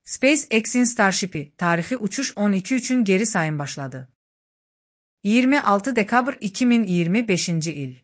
SpaceX'in Starship'i tarixi uçuş 12 üçün geri sayım başladı. 26 dekabr 2025 il.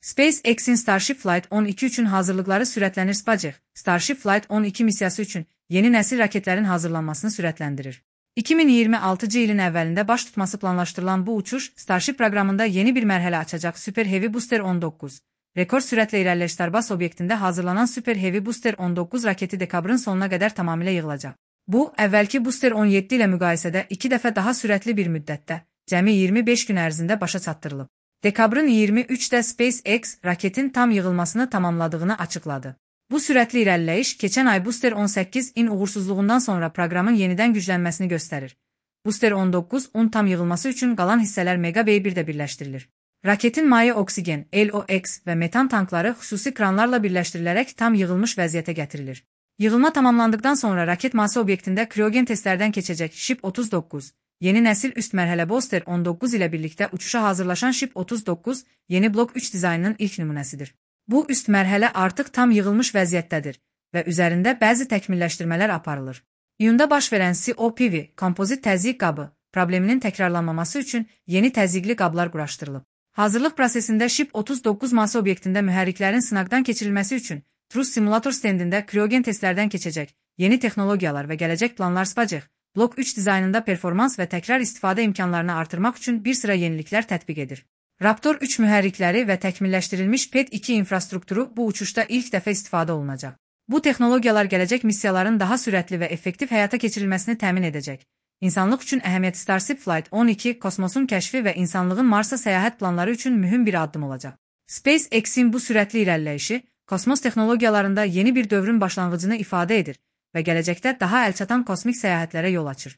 SpaceX'in Starship Flight 12 üçün hazırlıqları sürətlənir. SpaceX, Starship Flight 12 missiyası üçün yeni nəsil raketlərin hazırlanmasını sürətləndirir. 2026 ilin əvvəlində baş tutması planlaşdırılan bu uçuş, Starship proqramında yeni bir mərhələ açacaq. Super Heavy Booster 19, rekord sürətlə irəliləyiş Starbase obyektində hazırlanan Super Heavy Booster 19 raketi dekabrın sonuna qədər tamamilə yığılacaq. Bu, əvvəlki Booster 17 ilə müqayisədə 2 dəfə daha sürətli bir müddətdə, cəmi 25 gün ərzində başa çatdırılıb. Dekabrın 23-də SpaceX raketin tam yığılmasını tamamladığını açıqladı. Bu sürətli irəliləyiş keçən ay Booster 18-in uğursuzluğundan sonra proqramın yenidən güclənməsini göstərir. Booster 19-un tam yığılması üçün qalan hissələr Mega Bay-1-də birləşdirilir. Raketin maye oksigen, LOX və metan tankları xüsusi kranlarla birləşdirilərək tam yığılmış vəziyyətə gətirilir. Yığılma tamamlandıqdan sonra raket masa obyektində kriogen testlərdən keçəcək. Ship 39, yeni nəsil üst mərhələ Booster 19 ilə birlikdə uçuşa hazırlaşan Ship 39, yeni Block 3 dizaynının ilk nümunəsidir. Bu üst mərhələ artıq tam yığılmış vəziyyətdədir və üzərində bəzi təkmilləşdirmələr aparılır. İyunda baş verən COPV, kompozit təzyiq qabı, probleminin təkrarlanmaması üçün yeni təzyiqli qablar quraşdırılıb. Hazırlıq prosesində Ship 39 masa obyektində mühərriklərin sınaqdan keçirilməsi üçün Truss simulator stendində kriogen testlərdən keçəcək. Yeni texnologiyalar və gələcək planlar SpaceX, Block 3 dizaynında performans və təkrar istifadə imkanlarını artırmaq üçün bir sıra yeniliklər tətbiq edir. Raptor 3 mühərrikləri və təkmilləşdirilmiş PET-2 infrastrukturu bu uçuşda ilk dəfə istifadə olunacaq. Bu texnologiyalar gələcək missiyaların daha sürətli və effektiv həyata keçirilməsini təmin edəcək. İnsanlıq üçün əhəmiyyətli Starship Flight 12 kosmosun kəşfi və insanlığın Marsa səyahət planları üçün mühüm bir addım olacaq. SpaceX-in bu sürətli irəliləyişi kosmos texnologiyalarında yeni bir dövrün başlanğıcını ifadə edir və gələcəkdə daha əlçatan kosmik səyahətlərə yol açır.